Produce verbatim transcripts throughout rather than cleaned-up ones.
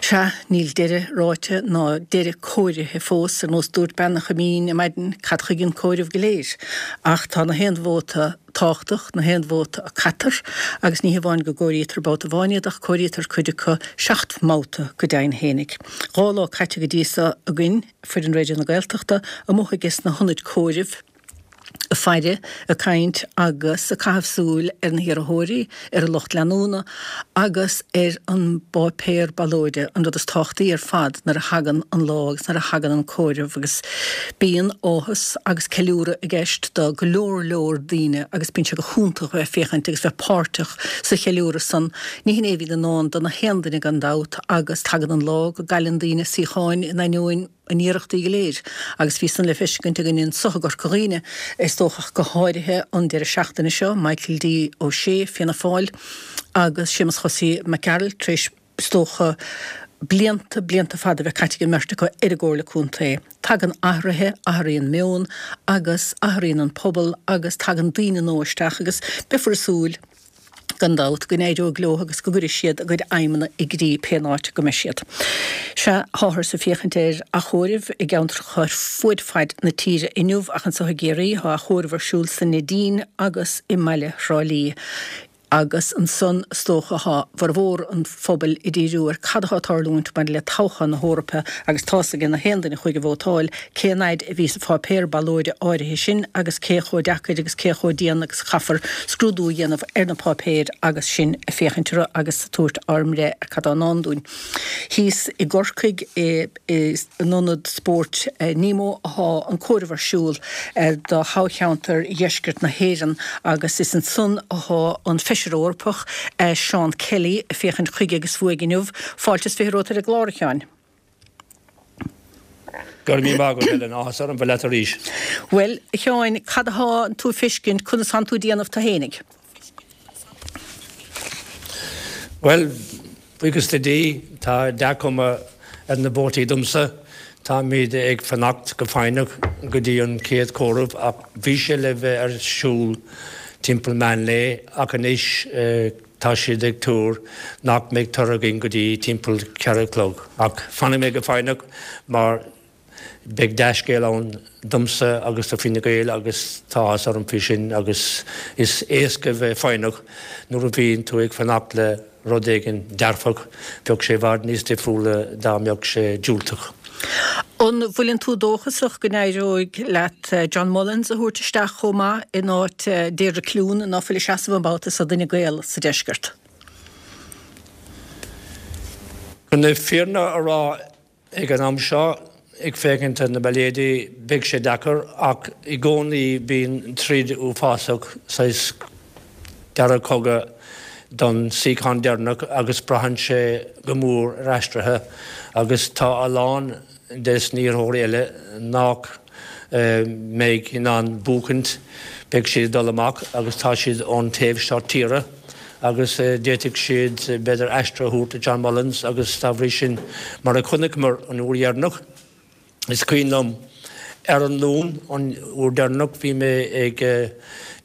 Sea, níl deireadh ráite ná deireadh cóirithe fós, ar nós dúirt bean an Choimín ar maidin, cad chuige an comhaireamh go léir? Ach tá na haon vóta tábhachtach, na haon vóta a caitear, agus ní hamháin go gcomhairítear babhta amháin iad ach comhairítear cuid acu seacht mbabhta go deimhin fhéinig. Dhá lá caite go dtí so againn, foireann Raidió na Gaeltachta, amuigh ages na hionaid comhairimh, ag faire, ag caint agus ag caitheamh súil ar na hiarrthóirí, ar a lucht leanúna agus ar an bpáipéar ballóide, an rud is tábhachtaí ar fad nuair a thagann an lá agus nuair a thagann an comhaireamh agus bíonn áthas agus ceiliúradh i gceist do go leor leor daoine agus bíonn sé go hiontach a bheith ag féachaint agus bheith páirteach sa cheiliúradh san. Ní hin é a bhíonn i ndán do na haon duine gan dabht agus tagann an lá go gcailleann daoine suíocháin in ainneoin a n-iarrachtaí go léir agus bhí san le feiscint againn anso i gCorca Dhuibhne, is dócha ach go háirithe an deireadh seachtaine seo, Michael D. Ó Sé, Fianna Fáil, agus Séamus Chosaí Mac Gearailt tar éis, is dócha, blianta, blianta fada a bheith caite ag an mbeirt acu ar an gComhairle Contae. Tagann athruithe, athraíonn meon agus athraíonn an pobal agus tagann daoine nua isteach agus beifear ag súil, gan dabht, go n-éireoidh leo agus go gcuirfidh siad a gcuid aidhmeanna i gcrích pé áit go mbeidh siad. Sea, táthar ag féachaint ar achomhaireamh i gceantracha ar fuaid faid na tíre inniu ach anso i gCiarraí tá achomhaireamh ar siúl sa Neidín agus i mbaile Thrá Lí. Agus ansan, is dócha, tá formhór an phobail ag díriú ar cad atá ag tarlúint maidir le toghchán na hEorpa agus tá's ag na haon duine a chuaigh ag vótáil cén fhaid a bhí sa pháipéar ballóide áirithe sin agus cé chomh deacair agus cé chomh dian agus a chaithfear scrúdú a dhéanamh ar na páipéir agus sinn ag féachaint orthu agus ag tabhairt ár mbreith ar cad atá i ndán dúinn. Thíos i gCorcaigh in Ionad Spóirt Nemo atá an comhaireamh ar siúl do thoghcheantar Dheisceart na hÉireann agus is ansan atá an Feisire Eorpach Seán Kelly ag féachaint chuige agus uaidh inniu. Fáilte is fiche romhat ar an gclár, a Sheáin. Go raibh míle maith agat, Helen. Áthas orm bheith leat arís. Bhuel, a Sheáin, cad atá tú ag feiscint, conas tánn tú ag déanamh tú fhéinig? Bhuel, buíochas le Dia, tá dea-chuma ar na vótaí domsa. Táimid ag fanacht go foighneach go dtí an chéad chomhaireamh ach bhí sé le bheith ar siúl timpeall meán lae ach anois tá siad ag tuar nach mbeidh toradh againn go dtí timpeall ceithre a chlog. Ach fanfaidh mé go foighneach mar beidh dea-scéal ann domsa agus do Fine Gael agus tá áthas orm faoi sin agus is éasca bheith foighneach nuair a bhíonn tú ag fanacht le rud éigin dearfach, bheadh sé i bhfad níos difriúla dá mbeadh sé diúltach. An bhfuileann tú dóchasach go n-éireoidh leat John Mullins a thabhairt isteach chomh maith in áit Deirdre Clune ná fuil ag seasamh an babhta so d'Fhine Gael sa deisceart? Chun na fírinne a rá, Ag an am seo, ag féachaint ar na bailéidí, beidh sé deacair ach i gcónaí bíonn troid uafásach, saghas dara cogadh don suíochán deireanach agus braitheann sé go mór ar aistrithe agus tá a lán des na hiarrthóirí eile nach mbeidh in ann buachaint, beidh siad ag dul amach agus tá siad ón taobh seo tíre. agus d'fhéadfadh siad, b'fhéidir, aistrithe a thabhairt do John Mullins agus dá bhrí sin, mar a chonaiceamar an uair dheireanach, is cuimhin liom ar an Luan an uair dheireanach, bhí mé ag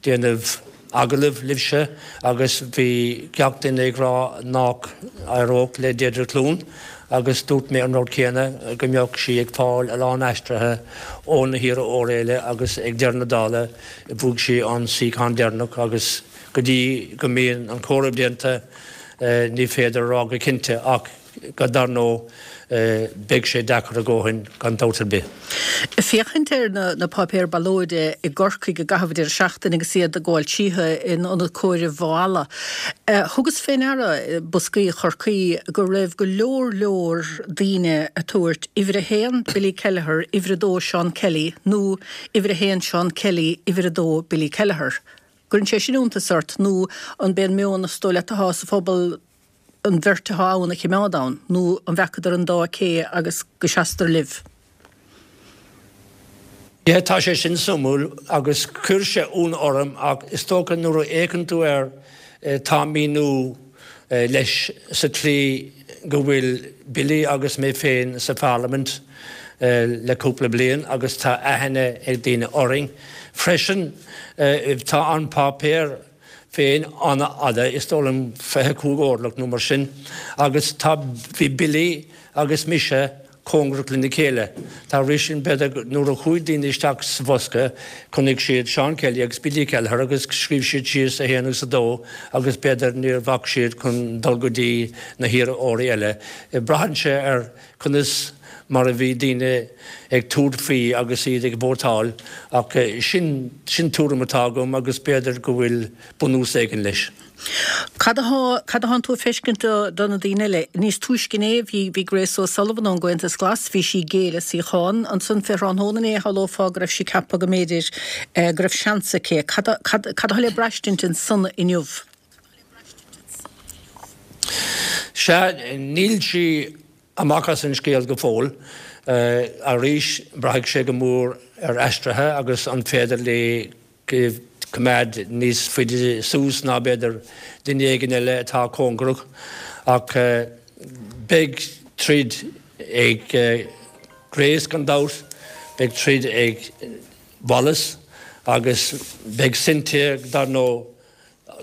déanamh agallaimh libhse agus bhí gach duine ag rá nach éireodh le Deirdre Clune agus dúirt mé an rud céanna, go mbeadh sí ag fáil a lán aistrithe ó na hiarrthóirí eile agus ag deireadh na dála bhuaigh sí an suíochán deireanach agus Go dtí go mbíonn an comhaireamh déanta ní féidir a rá go cinnte ach dar ndóigh beidh sé deacair a dhóthain gan dabht ar bith. Ag féachaint ar na páipéir ballóide i gCorcaigh i gcaitheamh an deireadh seachtaine agus iad ag gabháil tríothu in ionad comhairimh Mhaigh Ealla, thugas fé ndeara, boscaí Chorcaí, go raibh go leor leor daoine ag tabhairt uimhir a haon Billy Kelleher, uimhir a dó Seán Kelly nó uimhir a haon Seán Kelly, uimhir a dó Billy Kelleher. Cuireann sé sin iontas ort, nó an b'é an meon is dóigh leat atá sa phobal an bheirt atá ann a chimeád ann, nó an bhfeacadar an dá cé agus go seastar libh? Yeah, tá sé sin suimiúil agus chuir sé ionadh orm ach is dócha nuair a fhéachann tú air tá míniú leis sa tslí go bhfuil Billy agus mé féin sa pharlaimint le cúpla bliain agus tá aithne ag daoine orainn. Freisin tá an páipéar féin an-fhada, is dóigh liom fiche cúig orlach nó mar sin, agus tá, bhí Billy agus mise cóngarach lena chéile. Dá bhrí sin, b'fhéidir nuair a chuaigh daoine isteach sa bhosca, chonaic siad Seán Kelly agus Billy Kelleher agus scríobh siad síos a haon agus a dó agus b'fhéidir níor bhac siad chun dul go dtí na hiarrthóirí eile. Braitheann sé ar conas mar a bhí daoine ag tabhairt faoi agus iad ag vótáil ach sin, sin tuairim atá agam agus b'fhéidir go bhfuil bunús éigin leis. Cad atá, cad atánn tú ag feiscint do, do na daoine eile? Níos túisce inné bhí, bhí Grace O'Sullivan ón gComhaontas Glas, bhí sí ag géilleadh suíochán. Ansan fé thráthnóna inné shamhlófá go raibh sí ag ceapadh go mb'fhéidir go raibh seans aici. Cad, cad, cad atá le braistint ansan inniu? Sea, níl sí amach as an scéal go fóill. Arís, braithfidh sé go mór ar aistrithe agus an féidir léi coimeád níos faide suas ná b'fhéidir duine éigin eile atá cóngarach. Ach beidh troid ag Grace gan dabht, beidh troid ag Wallace agus beidh Cynthia dar ndóigh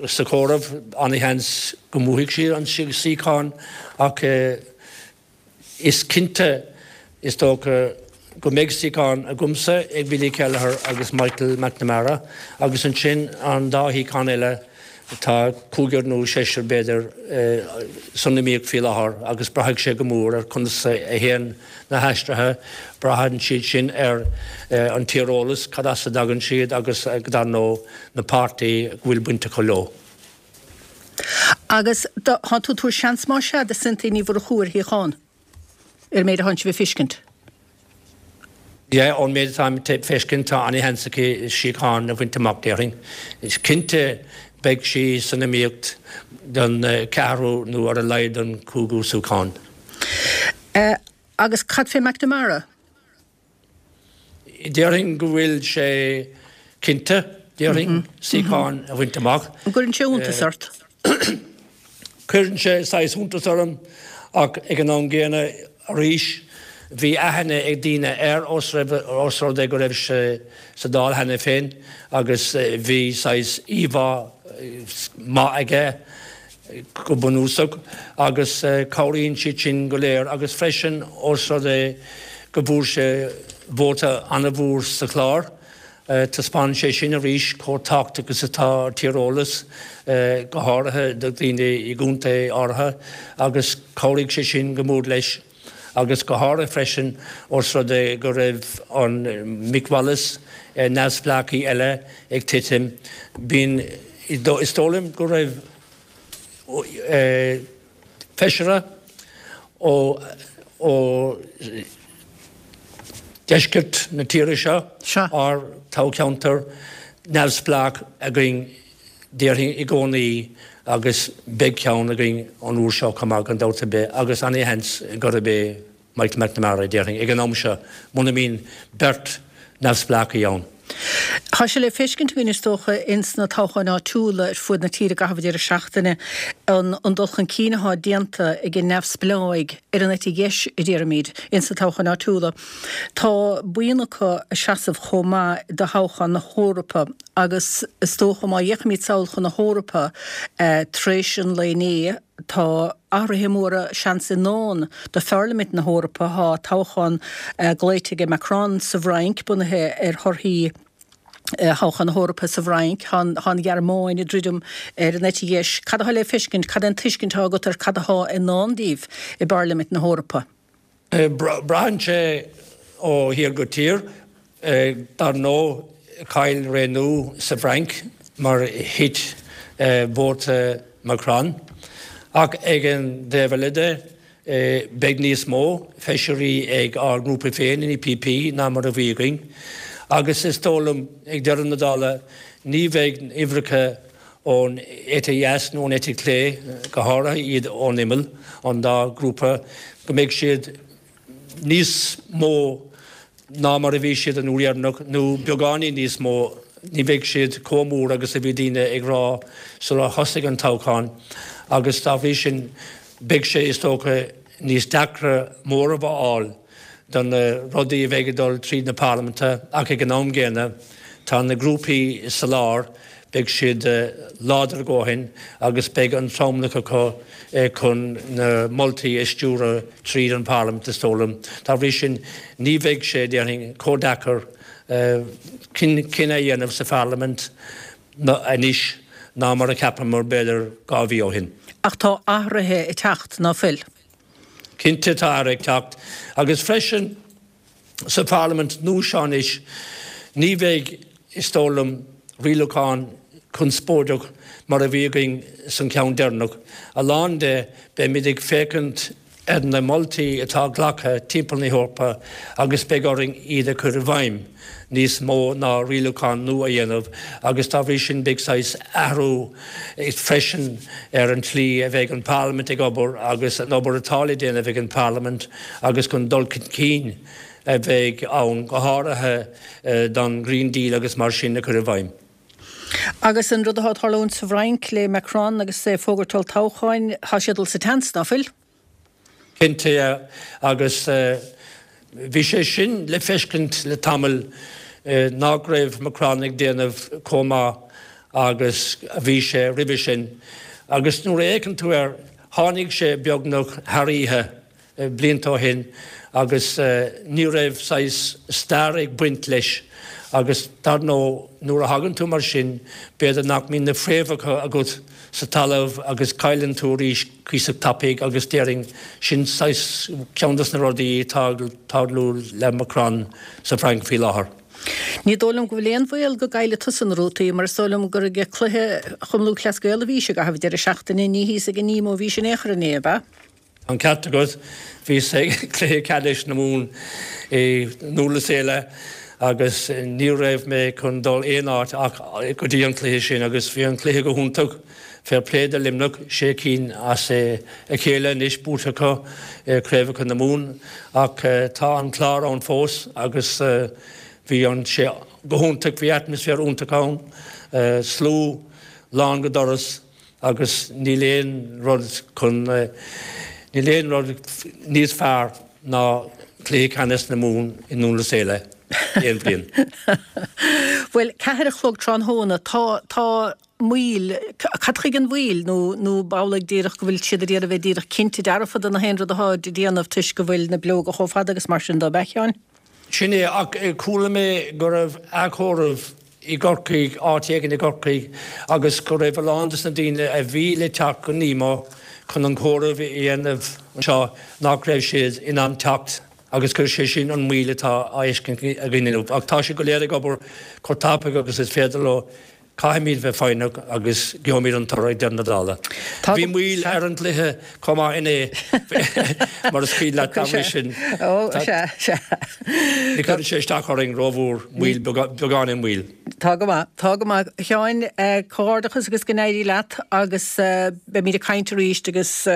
sa chomhaireamh. An-sheans go mbuafaidh sí an suíochán ach is cinnte, is dócha, go mbeidh suíochán agamsa, ag Billy Kelleher agus Michael McNamara agus ansin an dá shuíochán eile, tá cúigear nó seisear b'fhéidir san iomaíocht faoi láthair agus braithfidh sé go mór ar conas a théann na haistrithe, braitheann siad sin ar an tíreolas, cad as a dtagann siad agus dar ndóigh na páirtí go bhfuil baint acu leo. Agus tá tú ag tabhairt seans más ea do Cynthia Ní Mhurchú ar shuíochán, ar an méid atánn sibh ag feiscint? Yeah, ón méid atáim ag feiscint tá an-sheans aici suíochán a bhaint amach, déarfainn. Is cinnte beidh sí san iomaíocht don ceathrú nó ar a laghad don cúigiú suíochán. Agus cad fé McNamara? Déarfainn go bhfuil sé cinnte, déarfainn, suíochán a bhaint amach. An gcuireann sé iontas ort? Cuireann sé saghas iontas orm ach ag an am gcéanna arís bhí aithne ag daoine air os rud é go raibh sé sa Dáil cheana féin agus bhí saghas íomhá maith aige go bunúsach agus cabhraíonn siad sin go léir agus freisin os rud é go bhfuair sé vóta an-mhór sa Chlár. Taispeánann sé sin arís chomh tábhachtach is atá tíreolas, go háirithe do dhaoine i gcontae áirithe, agus chabhraigh sé sin go mór leis, agus go háirithe freisin ós rud é go raibh an Mick Wallace, neamhspleáchaí eile, ag titim. Bíonn, is dóigh liom go raibh feisire ó dheisceart na tíre seo, ár toghcheantar neamhspleách againn, déarfainn, i gcónaí agus beidh ceann againn an uair seo chomh maith, gan dabht ar bith, agus an-sheans gurb é Michael McNamara, déarfainn, ag an am seo, muna mbíonn beirt neamhspleáchaí ann. Tá sé le feiscint againn, is dócha, ins na toghcháin áitiúla ar fuaid na tíre i gcaitheamh an deireadh seachtaine, an dul chun cinn atá déanta ag an neamhspleáigh ar an eite dheis, a déarfaimid, ins na toghcháin áitiúla. Tá buíon acu ag seasamh chomh maith do thoghchán na hEorpa agus is dócha má fhéachaimid sall chun na hEorpa tar éis an lae inné, Tá athruithe móra seans i ndán do Pharlaimint na hEorpa. Tá toghchán glaoite aige Macron sa bhFrainc, bunaithe ar thorthaí thoghchán na hEorpa sa bhFrainc. Tá an Ghearmáin ag druidim ar an eite dheis. Cad atá le feiscint? Cad é an tuiscint atá agat ar cad atá i ndán daoibh i bParlaimint na hEorpa? Braitheann sé ó thír go tír. Dar ndóigh, chaill Renew sa bhFrainc mar thit vóta Macron. Ach ag an dtaobh eile de, beidh níos mó feisirí ag ár ngrúpa féin, an EPP, ná mar a bhí againn. Agus is dóigh liom, ag deireadh na dála, ní bheidh uimhreacha ón eite dheas nó ón eite chlé, go háirithe iad ón imeall, an dá ghrúpa, go mbeidh siad níos mó ná mar a bhí siad an uair dheireanach, nó beagáinín níos mó, ní bheidh siad chomh mór agus a bhí daoine ag rá sular thosaigh an toghchán, agus dá bhrí sin beidh sé, is dócha, níos deacra móramh a fháil do na rudaí a bheidh ag dul tríd na parlaiminte, ach ag an am gcéanna tá na grúpaí sa lár, beidh siad láidir a ndóthain agus beidh an tromlach acu chun na moltaí a stiúradh tríd an bParlaimint, is dóigh liom. Dá bhrí sin, ní bheidh sé, déarfainn, chomh deacair cinneadh a dhéanamh sa Pharlaimint anois ná mar a cheapamar b'fhéidir dhá mhí ó shin. Ach tá athruithe ag teacht, ná fuil? Cinnte tá athruithe ag teacht. Agus freisin sa Pharlaimint nua seo anois, ní bheidh, is dóigh liom, rialúchán conspóideach mar a bhí againn san ceann deireanach. A lán de, beimid ag féachaint ar na moltaí atá glactha timpeall na hEorpa agus beidh orainn iad a chur i bhfeidhm níos mó ná rialúchán nua a dhéanamh agus dá bhrí sin beidh saghas athrú freisin ar an tslí a bheidh an Pharlaimint ag obair agus an obair atá le déanamh ag an Pharlaimint agus chun dul chun cinn a bheidh ann, go háirithe don Green Deal agus mar sin a chur i bhfeidhm. Agus an rud atá ag tarlúint sa bhFrainc le Macron agus é ag fógairt olltoghcháin, tá sé ag dul sa tseans, ná fuil? Cinnte, agus bhí sé sin le feiscint le tamall nach raibh Macron ag déanamh chomh maith agus a bhí sé roimhe sin. Agus nuair a fhéachann tú air, tháinig sé beagnach thar oíche blianta ó shin agus ní raibh saghas stair ag baint leis agus dar ndóigh nuair a thagann tú mar sin b'fhéidir nach mbíonn na fréamhacha agat sa talamh agus cailleann tú arís cuíosach tapaidh agus déarfainn sin saghas ceann des na rudaí atá ag tarlú le Macron sa Fhrainc faoi láthair. Ní dóigh liom go bhfuil aon bhaol go gcaillfidh tusa na rútaí mar is dóigh liom gur ag cluiche Chumann Lúthchleas Gael a bhís i gcaitheamh an deireadh seachtaine, ní thíos ag an Nemo a bhís in aon chor inné, ab ea? An ceart agat, bhíos ag cluiche ceannais na Mumhan i nDún Laoghaire agus ní raibh mé chun dul aon áit ach go dtí an cluiche sin agus bhí an cluiche go hiontach. Fair play do Luimneach, sé cinn as a chéile anois buaite acu i craobhacha na Mumhan ach tá an Clár ann fós agus bhí an sé go hiontach, bhí atmaisféar iontach ann, slua lán go doras. Agus níl aon rud chun, níl aon rud níos fearr ná cluiche ceannais na Mumhan i nDún Laoghaire aon bhliain. Bhuel, ceathair a chlog tráthnóna, tá, tá moill, cad chuige an mhoill nó, nó b'amhlaidh díreach go bhfuil siad ag iarraidh a bheith díreach cinnte dearfa de na haon rud atá á dhéanamh toisc go bhfuil na bileoga chomh fada agus mar sin de, ab ea, a Sheáin? Sin é, ach chuala mé go raibh athchomhaireamh i gCorcaigh, áit éigin i gCorcaigh, agus go raibh a lán de na daoine a bhí le teacht go Nemo chun an comhaireamh a dhéanamh anseo nach raibh siad in ann teacht agus gur sé sin an mhoill atá á fheiscint againn inniu. Ach tá siad go léir ag obair chomh tapaidh agus is féidir leo. Caithfimid bheith foighneach agus gheobhaimid an toradh ag deireadh na dála. Bhí moill ar an gcluiche chomh maith inné, mar is cuimhin leat, dá bhrí sin. Ní chuireann sé isteach orainn rómhór, moill, beagáinín moill. Tá go maith, tá go maith. A Sheáin, comhghairdeachas agus go n-éirí leat agus beimid ag caint arís agus.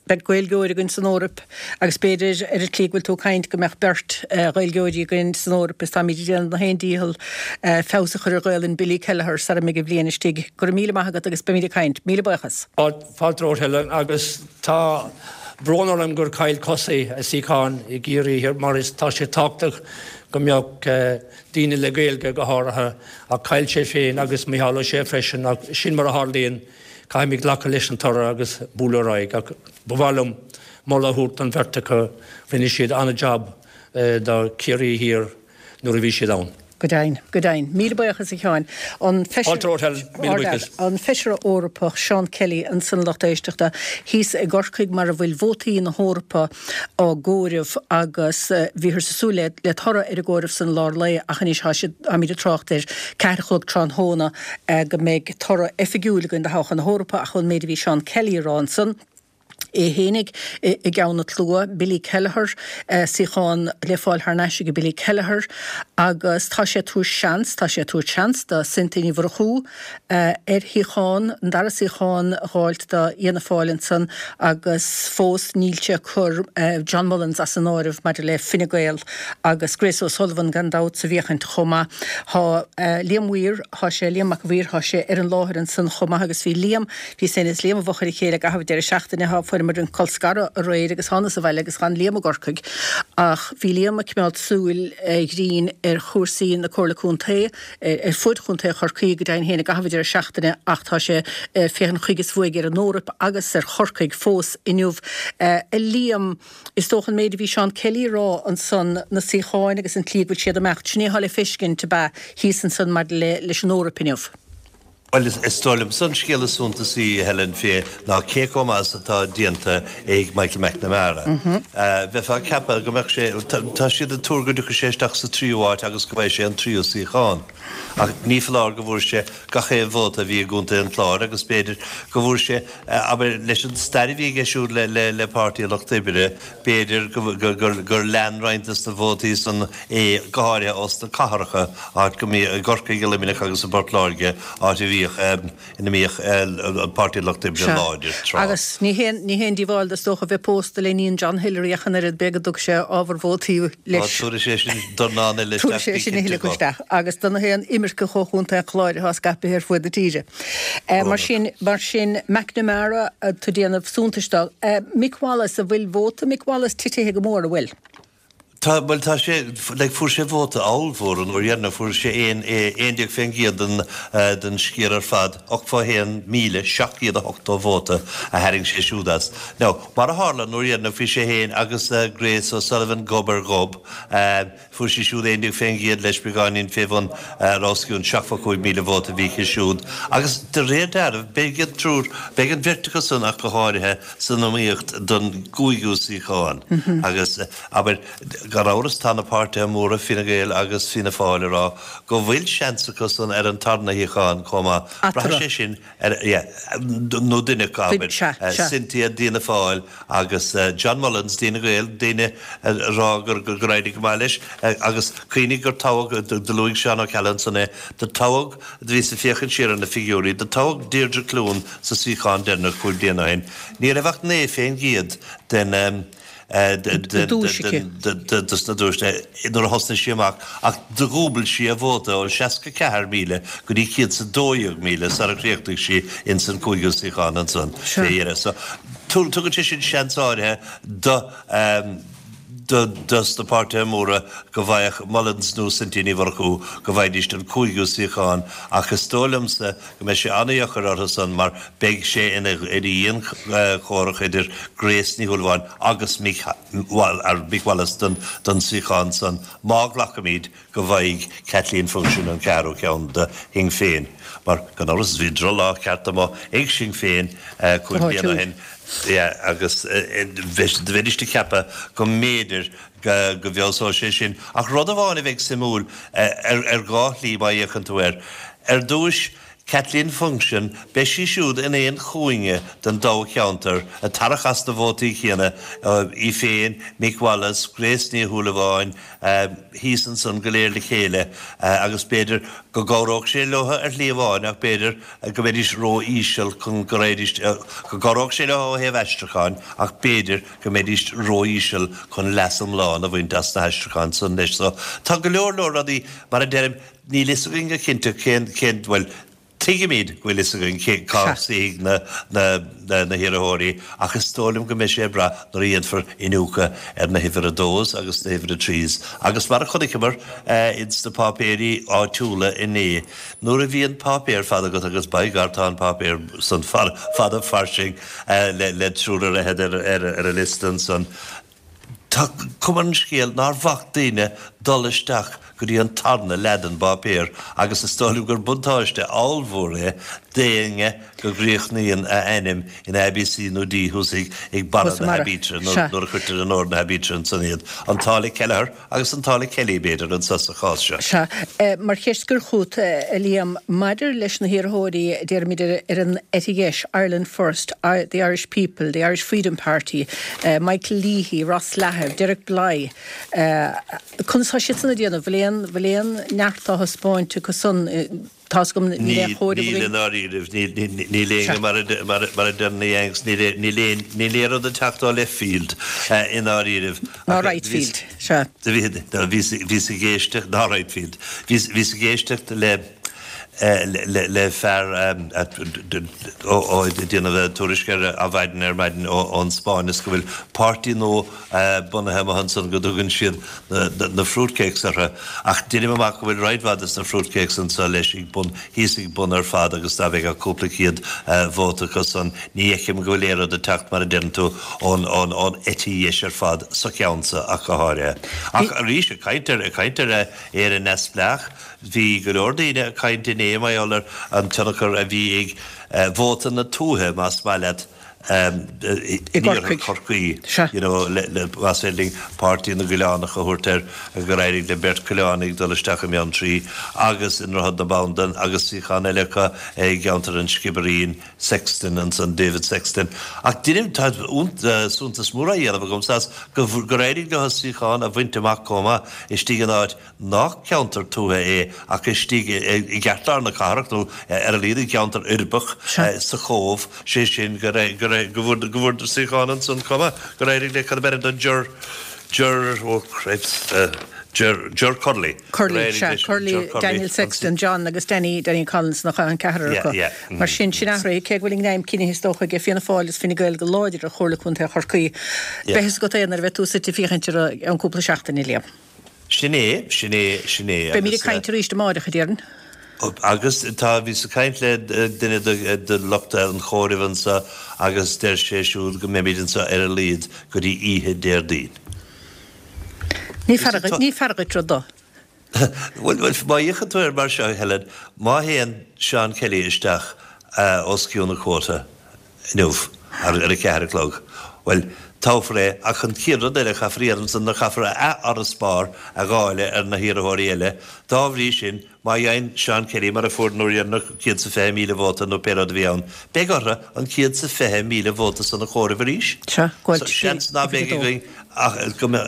Beidh Gaeilgeoir againn san Eoraip agus b'fhéidir, ar an tslí go bhfuil tú ag caint, go mbeadh beirt Ghaeilgeoirí againn san Eoraip is táimid ag déanamh na haon dícheall feabhas a chur ar Ghaelainn Billy Kelleher sara mbeidh an bhliain istigh. Go raibh míle maith agat agus beimid ag caint. Míle buíochas. Fáilte romhat, Helen, agus tá brón orm gur chaill Kosi a suíochán i gCiarraí Thiar mar is tá sé tábhachtach go mbeadh daoine le Gaeilge go háirithe ach chaill sé féin agus Micheál Ó Sé freisin ach sin mar a tharlaíonn. Caithfimid glacadh leis an toradh agus bualadh ar aghaidh ach ba mhaith liom moladh a thabhairt don bheirt acu, rinne siad an-jab do Chiarraí Thiar nuair a bhí siad ann. Go deimhin, go deimhin. Míle buíochas a Sheáin. An Fáilte romhat, Helen. Míle buíochas. An Feisire Eorpach Seán Kelly ansan a lucht éisteachta thíos i gCorcaigh mar a bhfuil vótaí na hEorpa á gcomhaireamh agus bhíothas ag súil le toradh ar an gcomhaireamh san i lár lae ach anois tá siad, táimid ag trácht ar ceathair a chlog tráthnóna go mbeidh toradh oifigiúil againn do thoghchán na hEorpa ach ón méid a bhí Seán Kelly a rá ansan, é fhéinig i gceann an tslua, Billy Kelleher, suíochán le fáil thar n-ais ag Billy Kelleher agus tá sé ag tabhairt seans, tá sé ag tabhairt seans do Cynthia Ní Mhurchú ar shuíochán, an dara suíochán a dh'fháilt do Fhianna Fáil ansan agus fós níl sé ag cur John Mullins as an áireamh maidir le Fine Gael agus Grace O'Sullivan gan dabht sa bhféachaint chomh maith. Tá Liam Weir, tá sé, Liam Mac an Mhaoir, tá sé ar an láthair ansan chomh maith agus bhí Liam, bhíos féin is Liam i bhfochair a chéile i gcaitheamh deireadh seachtaine, tá fuair Fuaireamar an colscaradh aréir agus thánas abhaile agus chan Liam i gCorcaigh ach bhí Liam ag coimeád súil ghrinn ar chúrsaí na Comhairle Contae ar fud Chontae Chorcaí go deimhin féin i gcaitheamh an deireadh seachtaine ach tá sé féachaint chuige is uaidh ar an Eoraip agus ar Chorcaigh fós inniu. A Liam, is dócha an méid a bhí Seán Kelly a rá ansan, na suíocháin agus an tslí go bhfuil siad ag imeacht, sin é atá le feiscint ab ea thíos ansan maidir le leis an Eoraip inniu. Bhuel, is dóigh liomsa an scéal is suntasaí, a Helen, fé ná cé chomh maith is atá déanta ag Michael McNamara. Bheifeá ag ceapadh go mbeadh sé, tá siad ag tuar go dtiocfaidh sé isteach sa tríú háit agus go bhfaighidh sé an tríú suíochán. Ach ní foláir go bhfuair sé gach aon vóta a bhí i gContae an Chláir agus b'fhéidir go bhfuair sé, abair, leis an stair a bhí aige siúd le, le, le Páirtí an Lucht Oibre, b'fhéidir go, go, gur, gur lean roinnt des na vótaí san é, go háirithe ós na cathracha, áit go mbíodh, i gCorcaigh, i Luimneach agus i bPort Láirge, áit a bhíodh, ina mbíodh an Páirtí an Lucht Oibre Sea. láidir tráth. Agus ní haon, ní haon díobháil dó is dócha a bheith pósta le iníon John Hillery ach an oiread, b'fhéidir go dtug sé ábhar vótaí leis. Á, tabharfaidh sé sin dornán eile isteach, Tabharfaidh sé bí sin a cinnte thuilleadh dhó. isteach. Agus do na haon imirceach ó Chontae an Chláir atá scaipthe ar fuaid na tíre. Mar sin, mar sin, McNamara atá ag déanamh suntais dó. Mick Wallace, an bhfuil vóta Mick Wallace titithe go mór, an bhfuil? Tá, bhuel tá sé, like fuair sé vóta ollmhór an uair dheireanach, fuair sé aon, aon déag fén gcéad den, den sciar ar fad, ochtó a haon míle seacht gcéad a hochtó vóta a tharraing sé siúd as. Now, mar a tharla an uair dheireanach bhí sé féin agus Grace O'Sullivan gob ar ghob, fuair sí siúd aon déag fén gcéad leis, beagáinín fé bhun os cionn seachtó cúig míle vóta a bhí aici siúd. Agus de réir dealraimh beidh an triúr, beidh an bheirt acu san ach go háirithe san iomaíocht don gcúigiú suíochán. Agus, abair, gan amhras tá na páirtithe móra, Fine Gael agus Fianna Fáil, ag rá go bhfuil seans acu san ar an tarna shuíochán chomh maith. Braithfidh sé sin ar, yeah, nó duine acu, abair, Cynthia d'Fhianna Fáil agus John Mullins d'Fhine Gael, daoine ag rá gur gur éirigh go maith leis agus cuimhnigh gur toghadh, do luaigh Seán Ó Ceallaigh ansan é, do toghadh, do bhíos ag féachaint siar ar na figiúirí, do toghadh Deirdre Clune sa suíochán deireanach cúig bliana ó shin, ní raibh ach naoi fén gcéad den dos na duaiseanna nuair a thosnaigh sí amach ach do dhúbail sí a vóta ó seasca ceathair míle go dtí céad 's a dó dhéag míle sara chríochnaigh sí ins an cúigiú suíochán ansan fé dheireadh. So tugann sé sin seans áirithe do do dos na páirtithe móra go bhfaigheadh Mullins nó Cynthia Ní Mhurchú go bhfaighidís an cúigiú suíochán ach is dóigh liomsa go mbeidh sé an-dheacair orthu san mar beidh sé ina dhianchomhrac idir Grace Ní Shúilleabháin agus Mick Mick Wallace don don suíochán san má ghlacaimid go bhfaighidh Kathleen Funchion an ceathrú ceann do Shinn Féin mar gan amhras bhí drochlá ceart amuigh ag Sinn Féin Go cúig bliana ó háitiúil. shin. Yeah, agus bheidís ag ceapadh go mb'fhéidir go bhfeabhsódh sé sin. Ach rud amháin a bheidh suimiúil ar dhá shlí má fhéachann tú air. Ar dtúis, Kathleen Funchion, beidh sí siúd in aon chúinne den dtoghcheantar, ag tarrac as na vótaí céanna, í féin, Mick Wallace, Grace Ní Shúilleabháin, thíos ansan go léir le chéile agus b'fhéidir go gcabhródh sé leo ar shlí amháin ach b'fhéidir go mbeidís ró-íseal chun go raghaidís, go gcabhródh sé leo ó thaobh aistriúcháin ach b'fhéidir go mbeidís ró-íseal chun leas iomlán a bhaint as na haistriúcháin san leis. So tá go leor leor rudaí, mar a deirim, níl fhios againn go cinnte cén, cén, bhuel, Tuigimid go bhfuil fhios againn cé cá suífidh na na hiarrthóirí ach is dóigh liom go mbeidh sé ag brath nuair a dhéanfar iniúchadh ar na huimhir a dós agus na huimhir a trís agus mar a chonaiceamar ins na páipéirí áitiúla inné nuair a bhíonn páipéar fada agat agus by gar tá an páipéar san fada fairsing le le triúr ar fhichead ar ar ar an liosta ansan. Tá cuma ar an scéal nár bhac daoine dul isteach go dtí an tarna leath den bpáipéar agus is dóigh liom gur buntáiste ollmhór é d'éinne go gcríochnaíonn a ainm in A, B, C nó D thuas ag barra Thuas i na mbarra. haibítre Sea. nuair a chuirtear in ord na haibítre ansan iad. An t-ádh le Kelleher agus an t-ádh le Kelly, b'fhéidir, anso sa chás seo. Sea. Mar cheist a chur chugat, a Liam, maidir leis na hiarrthóirí, déarfaimid, ar an eite dheis, Ireland First, The Irish People, The Irish Freedom Party, Michael Leahy, Ross Lahiff, Derek Blighe, conas tá siadsan ag déanamh? Bhfuil aon, bhfuil aon neart á thaispeáint acu san? Tá's agam níl aon Níl, chomhaireamh níl i againn. ndáiríribh, níl, níl, níl Sea. éinne mar a, mar a, mar a deir na Yanks, níl, níl aon, níl aon rud ag teacht ó left field i ndáiríribh. Ná Ach right bhíos, field, sea. bhí, bhíos, bhíos ag éisteacht, ná right field, bhíos, bhíos ag éisteacht le, le fear ag déanamh tuairisc ar maidin ar maidin ón Spáinn is go bhfuil páirtí nua bunaithe amuigh ansan go dtugann siad na fruitcakes orthu ach deinim amach go bhfuil roinnt mhaith des na fruitcakes anso leis ag bun thíos ag bun ar fad agus dá mbeadh cúpla céad vóta acu san ní fheicim go bhfuil aon rud ag teacht mar a deireann tú ón ón ón eite dheis ar fad sa cheann seo ach go háirithe. Ach arís ag caint ar ag caint ar Éire neamhspleách Bhí go leor daoine ag caint inné mar gheall ar an tionchar a bhí ag vóta na tuaithe, más maith leat, in iarthar Chorcaí, you know, más féidir linn Páirtí na gCoileánach a thabhairt air, gur éirigh le beirt Coileánaigh dul isteach i mBeanntraí agus i nDroichead na Bandan agus suíochán eile acu i gceantar an Sciobairín, Sexton ansan, David Sexton. Ach deinim, tá suntas mór á dhéanamh agamsa as gur éirigh leo suíochán a bhaint amach chomh maith istigh in áit nach ceantar tuaithe é ach istigh i gceartlár na cathrach nó ar a laghad i gceantar uirbeach sa Chóbh, sé sin go bhfuair suíochán ansan chomh maith, gur éirigh le cad ab ainm do Ger, Ger, oh cripes, Ger, Ger Curley. Curley, sea, Curley, Daniel Sexton, John agus Danny, Danny Collins nach ea an ceathrar acu. Mar sin, sin athraithe, cé go bhfuil a ngreim cinnithe is dócha ag Fianna Fáil is Fine Gael go láidir ar Chomhairle Contae Chorcaí. Beidh fhios agat é nuair a bheidh tú suite ag féachaint air i gceann cúpla seachtaine, Liam. Sin é, sin é, sin é. Beimid ag caint arís amáireach, a déarfainn. Agus tá, bhíos ag caint le duine de lucht an chomhairimh anso agus deir sé siúd go mbeimid anso ar a laghad go dtí oíche Déardaoin. Ní fearr dhuit, ní fearr dhuit rud do. Bhuel, bhuel, má fhéachann tú air mar seo, Helen, má théann Seán Kelly isteach os cionn an quota inniu ar a ceathair a chlog, bhuel, toghfar é, ach an chéad rud eile a chaithfear a dhéanamh ansan ná caithfear a fharasbarr a dháileadh ar na hiarrthóirí eile. Dá bhrí sin, má fhaigheann Seán Kelly, mar a fuair an uair dheireanach, céad 's a fiche míle vóta nó pé rud a bhí ann, beidh orthu an céad 's a fiche míle vóta san a chomhaireamh arís. Sea, go So, seans ná beidh againn ach, go mbeadh,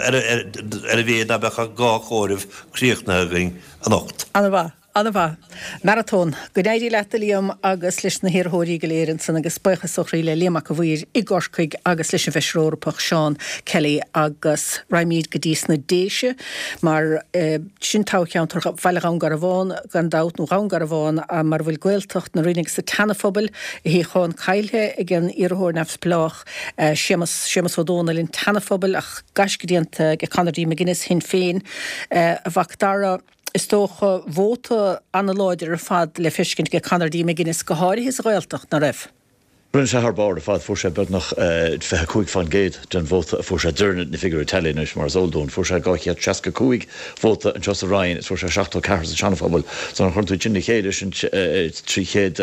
ar a mhéad ná beadh ach dhá chomhaireamh críochnaithe againn anocht. Ana-mhaith. An-mhaith. Maratón. Go n-éirí leat a Liam agus leis na hiarrthóirí go léir ansan agus buíochas ó chroí le Liam Mac a' Mhaoir i gCorcaigh agus leis an bhFeisire Eorpach Seán Kelly agus raghaimid go dtí sna Déise mar sin toghcheantar Bhaile Dhún Garbhán gan dabht nó Dhún Garbhán mar a bhfuil Gaeltacht na Rinne agus an tSeana-Phobail, a shuíochán caillthe ag an iarrthóir neamhspleách Séamus Séamus Ó Dónaill an tSeana-Phobail ach gaisce déanta ag Conor D. McGuinness Shinn Féin a Mhac Dara. Is dócha, vóta an-láidir ar fad le feiscint ag Conor D. McGuinness, go háirithe sa Ghaeltacht, ná raibh? Rinne sé thar barr ar fad, fuair sé beagnach fiche cúig faoin gcéad den vóta a fuair sé, de réir na figiúirí teilí anois mar is eol dúinn. Fuair sé dhá chéad seasca cúig vóta anseo sa Rinn is fuair sé seachtó ceathair sa Seana-Phobal. So nuair a chuireann tú iad sin le chéile, sin trí chéad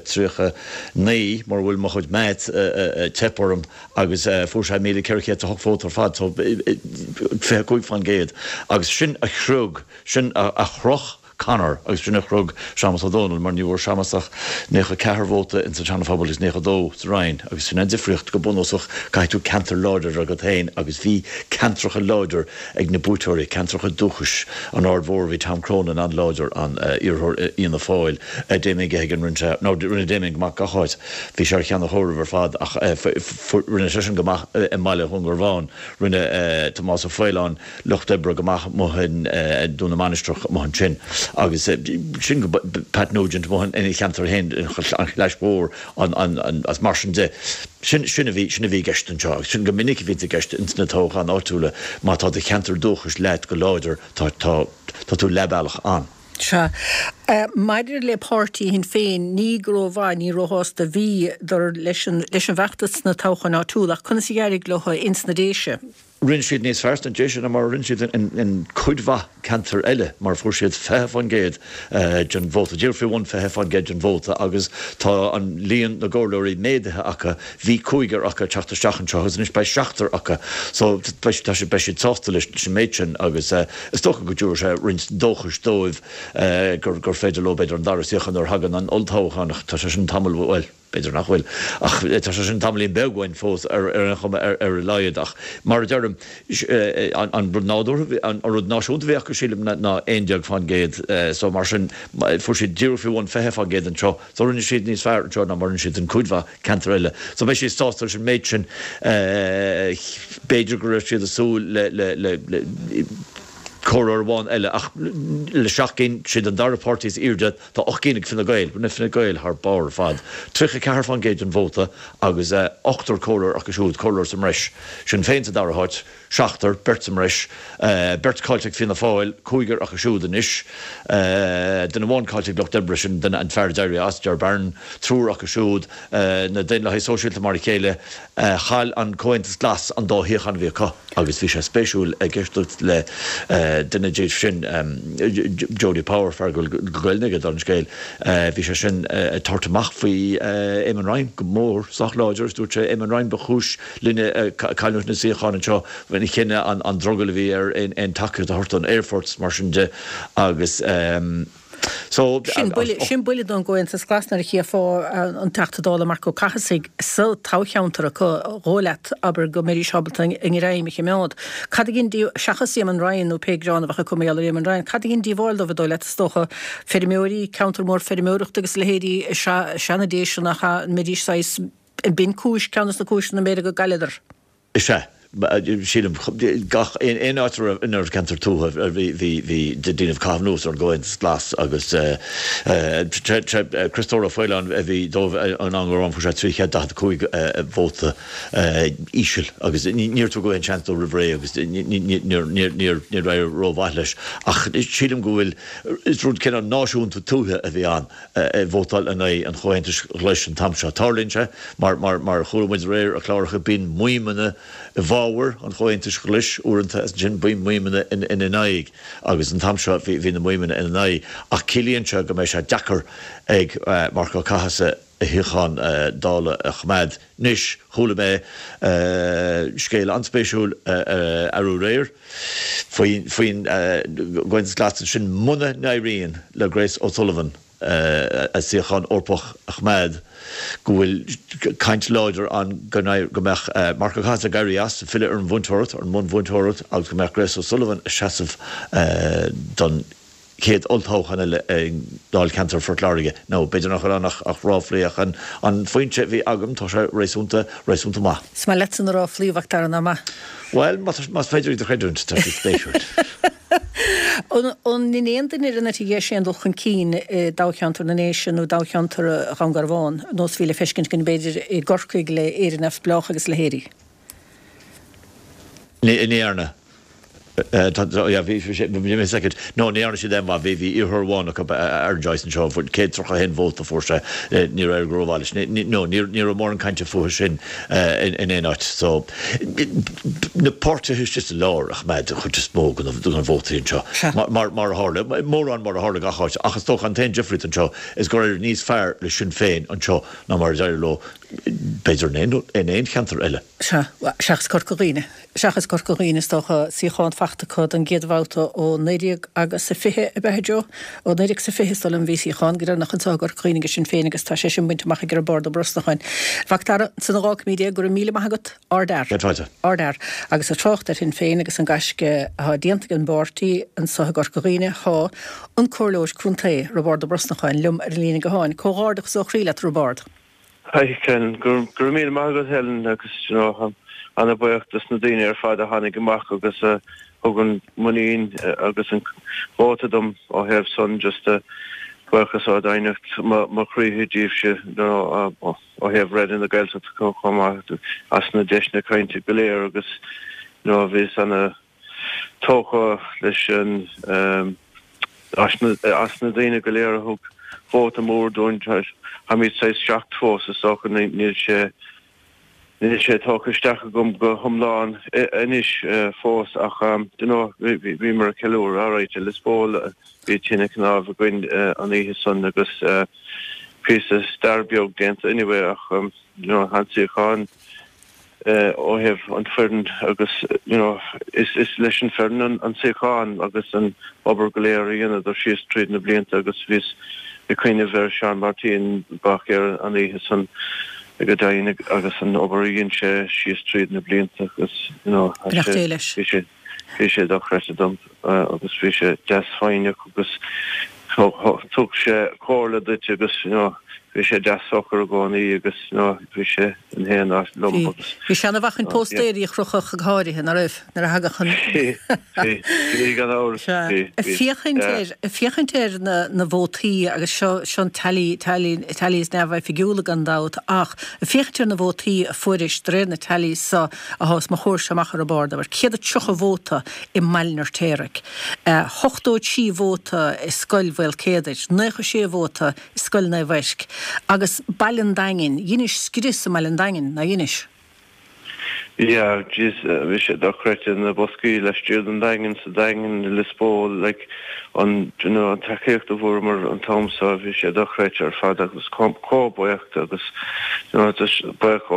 tríocha naoi, mura bhfuil mo chuid maths ag teip orm, agus fuair sé míle ceithre chéad is a hocht vóta ar fad, so fiche cúig faoin gcéad agus sin a shroich Sin a shroich Conor agus sin a shroich Séamus Ó Dónaill mar ní bhfuair Séamus ach naocha ceathair vóta ins an Seana-Phobal agus naocha dó sa Rinn agus sin an difríocht go bunúsach caithfidh tú ceantar láidir agat féin agus bhí ceantracha láidir ag na buaiteoirí, ceantracha dúchais, an Aird Mhór bhí Tom Cronin an-láidir an iarrthóir Fhianna Fáil, Damien Geoghegan rinne sé, nó rinne Damien go maith gach áit, bhí sé ar cheann an chomhairimh ar fad ach rinne seisean go maith i mbaile Dhún Garbhán, rinne Tomás Ó Faoláin Lucht Oibre go maith amuigh i nDún na Mainistreach amuigh ansin agus sin go Pat Nugent amuigh ina cheantar féin, an Chlais Mhór agus mar sin de. Sin sin a bhí sin a bhí i gceist anseo agus sin go minic a bhíonns i gceist ins na toghcháin áitiúla má tá do cheantar dúchais leat go láidir tá tá tá tú leathbhealach ann. Sea. Maidir le páirtí Shinn Féin, ní go rómhaith, ní róshásta a bhíodar leis an leis an bhfeachtas sna toghcháin áitiúla ach conas a d'éirigh leo ins na Déise? Rinne siad níos fearr sna Déise ná mar a rinne siad in cuid mhaith ceantar eile, mar fuair siad fiche faoin gcéad den vóta, díreach faoi bhun fiche faoin gcéad den vóta agus tá an líon na gcomhairleoirí méadaithe acu, bhí cúigear acu ag teacht isteach anseo agus anois beidh seachtar acu so beidh beidh siad sásta leis an méid sin agus is dócha go dtabharfaidh sé roinnt dóchais dóibh gur gur féidir leo b'fhéidir an dara suíochán nuair a thagann an olltoghchán ach tá sé sin tamall bhuel B'fhéidir nach bhfuil, ach tá sé sin tamaillín beag uainn fós ar aon chuma ar a laghad. Ach mar a deirim, an rud nádúrtha, an rud náisiúnta a bhí acu, sílim, ná aon déag fán gcéad. So mar sin, fuair siad díreach faoi bhun fiche fán gcéad anseo. So rinne siad níos fearr anseo ná mar a rinne siad in cuid mhaith ceantar eile. So beidh siad sásta leis an méid sin. B'fhéidir go raibh siad ag súil le, le, le, Comhairleoir amháin eile ach le seacht gcinn, siad an dara páirtí is airde, tá ocht gcinn ag Fine Gael, rinne Fine Gael thar barr ar fad, tríocha ceathair faoin gcéad den vóta agus ochtar comhairleoir acu siúd, comhairleoir sa mbreis. Sinn Féin sa dara háit, seachtar, beirt sa mbreis, beirt caillte ag Fianna Fáil, cúigear acu siúd anois, duine amháin caillte ag Lucht Oibre, sin duine, an fear a d'éirigh as, Ger Barron, triúr acu siúd, na Daonlathaigh Sóisialta mar a chéile, chaill an Comhaontas Glas an dá shuíochán a bhí acu. Agus bhí sé spéisiúil ag éisteacht le duine díobh sin, Jody Power, fear go bhfuil Gaelainn aige, dála an scéil, bhí sé sin ag tabhairt amach faoi Eamon Ryan go mór, sách láidir, agus dúirt sé, Eamon Ryan ba chúis linne cailliúint na suíochán anseo, ina chinneadh an drogall a bhí air aon tacaíocht a thabhairt don aerfort is mar sin de agus. So, Sin buille, sin buille don gComhaontas Glas nuair a chífeá an Teachta Dála Marc Ó Cathasaigh sa toghcheantar acu, dhóigh leat, abair, go mbeidís ábalta a ngreim a choimeád. Cad a dhein, seachas Eamon Ryan nó pé gearán a bheadh acu mar gheall ar Eamon Ryan, cad a dhein díobháil dóibh, an dóigh leat, is dócha, feirmeoirí, ceantar mór feirmeoireachta agus a leithéidí is ea na Déise nach ea, an mbeidís saghas, an b'in cúis, ceann des na cúiseanna mb'fhéidir go gcailleadar? Is ea. Sílim, gach aon áit a raibh ina raibh ceantar tuaithe, bhí, bhí, bhí daoine ag caitheamh anuas ar an gComhaontas Glas agus Criostóir Ó Faoláin a bhí dóibh an am go raibh, fuair sé trí chéad daichead a cúig vóta íseal agus níor tugadh aon seans dó roimh ré agus níor, níor, níor, níor éirigh rómhaith leis. Ach sílim go bhfuil, is rud cineál náisiúnta tuaithe a bhí ann ag vótáil in aghaidh an Chomhaontais Ghlais an t-am seo. Tarlaíonn sé, mar, mar, mar a chuala muid aréir ar chláracha, bíonn maidhmeanna i bhfabhar an Chomhaontais Ghlais uaireanta agus ansin bíonn maidhmeanna ina n-aghaidh agus an t-am seo bhí bhí na maidhmeanna ina n-aghaidh ach ciallaíonn sé go mbeidh sé deacair ag Marc Ó Cathasaigh a shuíochán Dála a choimeád. Anois, chuala mé scéal an-spéisiúil arú aréir faoin faoin gComhaontas Glas ansin muna n-éiríonn le Grace O'Sullivan a suíochán Eorpach a choimeád, go bhfuil caint láidir ann go mbeadh Marc Ó Cathasaigh ag éirí as, filleadh ar an mhúinteoireacht, ar an mbunmhúinteoireacht agus go mbeadh Grace O'Sullivan ag seasamh don chéad olltoghchán eile i ndáilcheantar Phort Láirge. Nó b'fhéidir nach bhfuil ann ach ráflaí ach an foinse a bhí agam, tá sé réasúnta, réasúnta maith. Is maith leatsa na ráflaí, a Mhac Dara, nach maith? Bhuel, más féidir iad a chreidiúint, tá siad spéisiúil. An ndein aon duine ar an eite dheis aon dul chun cinn i dtoghcheantar na nDéise nó toghcheantar Dhún Garbhán, nós a bhí le feiscint againn b'fhéidir i gCorcaigh le Éire Neamhspleách agus a leithéidí? Ní dhearna. No, ní dhearna siad aon mhaith. Bhí bhí iarrthóir amháin acu, Aaron Joyce anseo, céad tríocha a haon vóta a fuair sé. Níor éirigh go rómhaith leis. No, ní ní raibh mórán cainte fúthu sin in aon áit. So, na páirtithe istigh sa lár a choimeád an chuid is mó de na vótaí anseo, mar mar a tharla, mórán mar a tharla gach áit. Ach is dócha an t-aon difríocht anseo is gur éirigh níos fearr le Sinn Féin anseo ná mar a d'éirigh leo b'fhéidir in aon in aon cheantar eile. Sea, seachas Corca Dhuibhne. Seachas Corca Dhuibhne, is dócha, suíochán fachta acu don gcéad bhabhta ó naoi déag agus a fiche, ab ea, a Joe? Ó naoi déag is a fiche, is dóigh liom, a bhí suíochán go deireanach anseo i gCorca Dhuibhne ag Sinn Féin agus tá sé sin bainte amach ag Roibeárd Ó Brosnacháin. Mhac Dara, san dhá cúig déag, go raibh míle maith agat. Ardfhear. Céad fáilte. Ardfhear. Agus ag trácht ar Shinn Féin agus an gaisce atá déanta ag an bpáirtí anseo i gCorca Dhuibhne, tá an Comhairleoir Contae, Roibeárd Ó Brosnacháin, liom ar an líne gutháin. Comhghairdeachas ó chroí leat, a Roibeárd. Hi Helen, go raibh míle maith agat Helen agus you know táim ana-bhuíoch dos na daoine ar fad a tháinig amach agus a thug an muinín agus an vóta dom ó thaobh san just buíochas ó dhoimhneacht mo chroí díobhse you know ó thaobh Raidió na Gaeltachta chomh maith as na deiseanna cainte go léir agus you know bhíos ana tógtha leis an as na daoine go léir a thug vóta mór dúinn. Táimid saghas shocked fós is dócha, níl sé níl sé tógtha isteach agam go hiomlán anois fós ach you know bhíomar ag ceiliúradh alright i Lios Póil bhí tine cnámh againn an oíche san agus píosa stair beag déanta anyway ach you know an suíochán ó thaobh an foireann agus you know is is leis an foireann an suíochán agus an obair go léir a dheineadar síos tríd na blianta agus bhíos ag cuimhneamh ar Seán Martin Báicéir an oíche san go deimhin agus an obair a dhein sé síos tríd na blianta agus you know Beannacht Dé leis. bhí sé bhí sé dochreidte dom agus bhí sé deas foighneach agus thug sé comhairle duit agus you know bhí sé deas socair i gcónaí agus you know bhí sé in aon áit liom agus. Bhí sé ina bhacainn póstaeirí a chrochadh go háirithe, ná raibh, nuair a thagadh an. Bhí, bhí, bhí gan amhras, bhí, bhí. Féachaint ar, féachaint ar na, na vótaí agus seo, seo an tally, tally, tallies neamhoifigiúla gan dabht ach féachaint ar na vótaí a fuairis de réir na tallies so atá os mo chomhair amach ar an bord, abair, céad a tríocha vóta i mBaile an Fheirtéaraigh, ochtó a trí vóta i Scoil Mhaolcéadair, naocha sé vóta i Scoil Naomh Eirc, agus Baile an Daingin, dheinis scrios i mBaile an Daingin, nár dheinis? Yeah, jeez, bhí sé dochreidte na boscaí laistiar den Daingean, sa Daingean, i Lios Póil, like, an, you know, an tacaíocht a fuaireamar an t-am so, bhí sé dochreidte ar fad agus chomh buíoch agus, you know, just buíoch,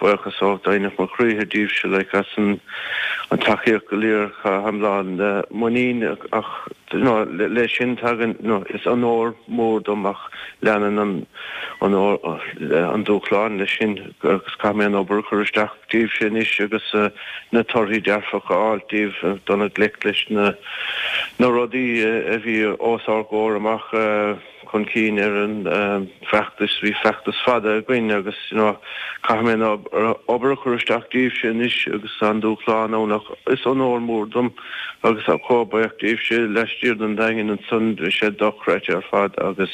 buíochas ó doimhneacht mo chroíthe díbhse, like, as an, an tacaíocht go léir, táim lán muinín ach, you know, le sin tagann, you know, is onóir mór dom ach leanann an, an, an dúshlán leis sin agus caithfidh mé an obair a chur isteach. Díbhse anois agus na torthaí dearfacha a fháil díbh dul i ngleic leis na na rudaí a bhí os ár gcomhair amach chun cinn ar an bhfeachtas. Bhí feachtas fada againn agus you know caithfidh mé an obair a chur isteach díbhse anois agus tá an dúshlán ann ach is onóir mór dom agus tá chomh buíoch díbhse laistiar den Daingean ansan bhí sé dochreidte ar fad agus